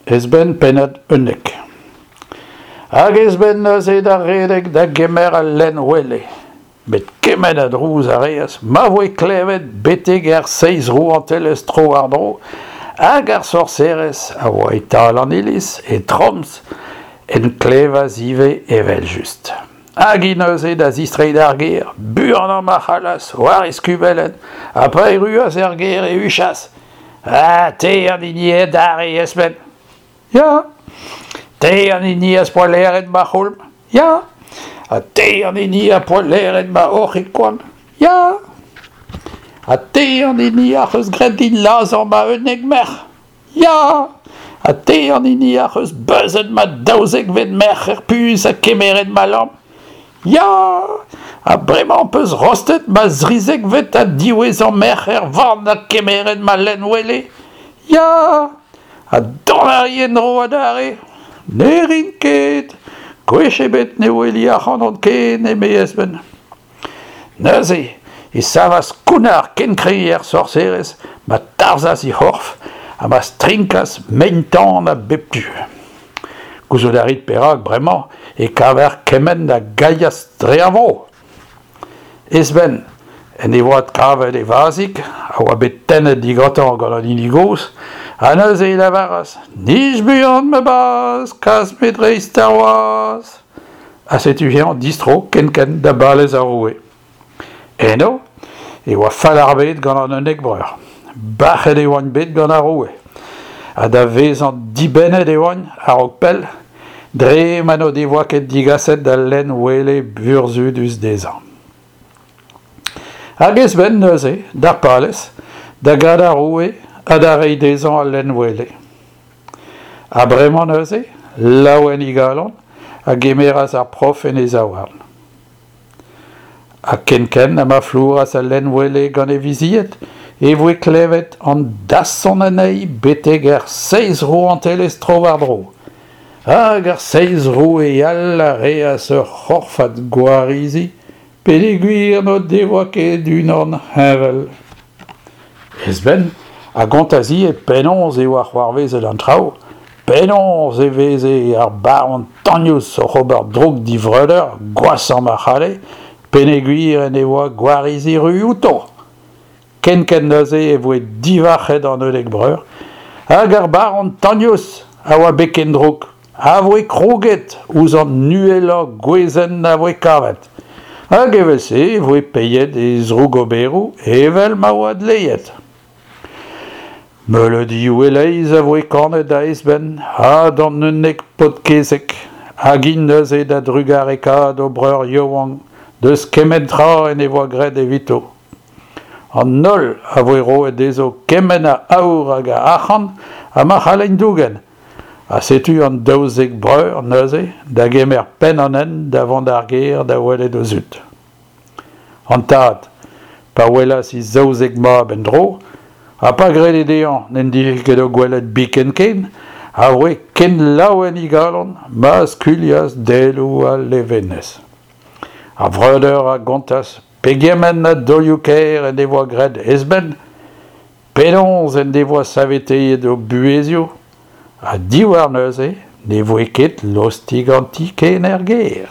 Esben pennad 11. Hag Esben neuze da redek da gemer al lenn wele. Met kement a drouz a reas ma voe klevet betek er seizh rouantelezh tro-war-dro hag ar sorserez a oa e-tal an iliz, e Troms, en klevas ivez evel-just. Hag hi neuze da zistreiñ d'ar gêr, buanañ ma c'hallas, war e skubellenn, ha pa erruas er gêr e huchas Ah, te an hini eo adarre, Esben? Ya. Te an hini az poa laeret ma c'houlm? Ya. Ha te an hini az poa laeret ma hoc'hig koant? Ya. Ha te an hini ac'h eus graet din lazhañ ma 11 merc'h? Ya. Ha te an hini ac'h eus beuzet ma daouzekvet merc'h er puñs ha kemeret ma lamp? Ya! Ha bremañ 'peus rostet ma zrizekvet ha diwezhañ merc'h er vann ha kemeret ma lenn-wele? Ya! Ha dont a ri en-dro adarre? Ne rin ket! Gwech ebet ne weli ac'hanon ken, eme Esben. Neuze e savas kounnar ken kreñv er sorserez ma tarzhas he c'horf ha ma strinkas mein-tan a bep tu. Gouzout a rit perak bremañ e kaver kement a gailhas dre ar vro. Esben en devoa adkavet e vazhig a oa bet tennet digantañ gant an hini gozh ha neuze e lavaras Nij buan ma bazh, kas me dreist ar wazh. Ha setu eñ distro kenkent da balez ar roue. Eno e oa fall ar bed gant an 11 breur. Bac'het e oant bet gant ar roue. Ha da vezañ dibennet e oant, a-raok pell, dre ma n'o devoa ket digaset al lenn wele burzhudus dezhañ. Hag Esben neuze, d'ar palez, da gad ar roue ha da reiñ dezhañ al lenn wele. Ha bremañ neuze, laouen e galon, a gemeras ar prof en e zaouarn. Ha kenkent ha ma flouras al lenn-wele gant e vizied e voe klevet an dasson anezhi betek er seizh rouantelezh tro-war-dro. Hag ar seizh roue all a reas ur c'horfad gwarizi peogwir n'o devoa ket unan heñvel. Esben a gontas ivez penaos e oa c'hoarvezet an traoù, penaos e veze ar baron tagnous oc'h ober droug d'e vreudeur gwashañ ma c'halle, peogwir en devoa gwarizi ru outo. Kenkent neuze e voe divarc'het an 11 breur, hag ar baron Tagnous a oa bet ken drouk, a voe kroget ouzh an uhelañ gwezenn a voe kavet. Hag evel-se e voe paeet e zrougoberoù evel ma oa dleet. Meuleudioù e-leizh a voe kanet da Esben ha d'an 11 paotr-kezeg, hag int neuze da drugarekaat o breur yaouank deus kement tra en devoa graet evito. An holl a voe roet dezho kement a aour hag a arc'hant ha ma c'hallent dougen. Ha setu an 12 breur neuze da gemer penn an hent da vont d'ar gêr da welet o zud. An tad, pa welas e zaouzek mab en-dro, ha pa grede dezhañ n'en dije ket o gwelet biken ken, a voe ken laouen e galon ma skuilhas daeloù a levenez. Ar vreudeur a gontas pegement a daolioù-kaer en devoa graet Esben, Penaos en devoa saveteet o buhezioù ha diwar neuze ne voe ket lostig an ti ken er gêr.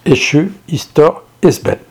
Echu istor Esben.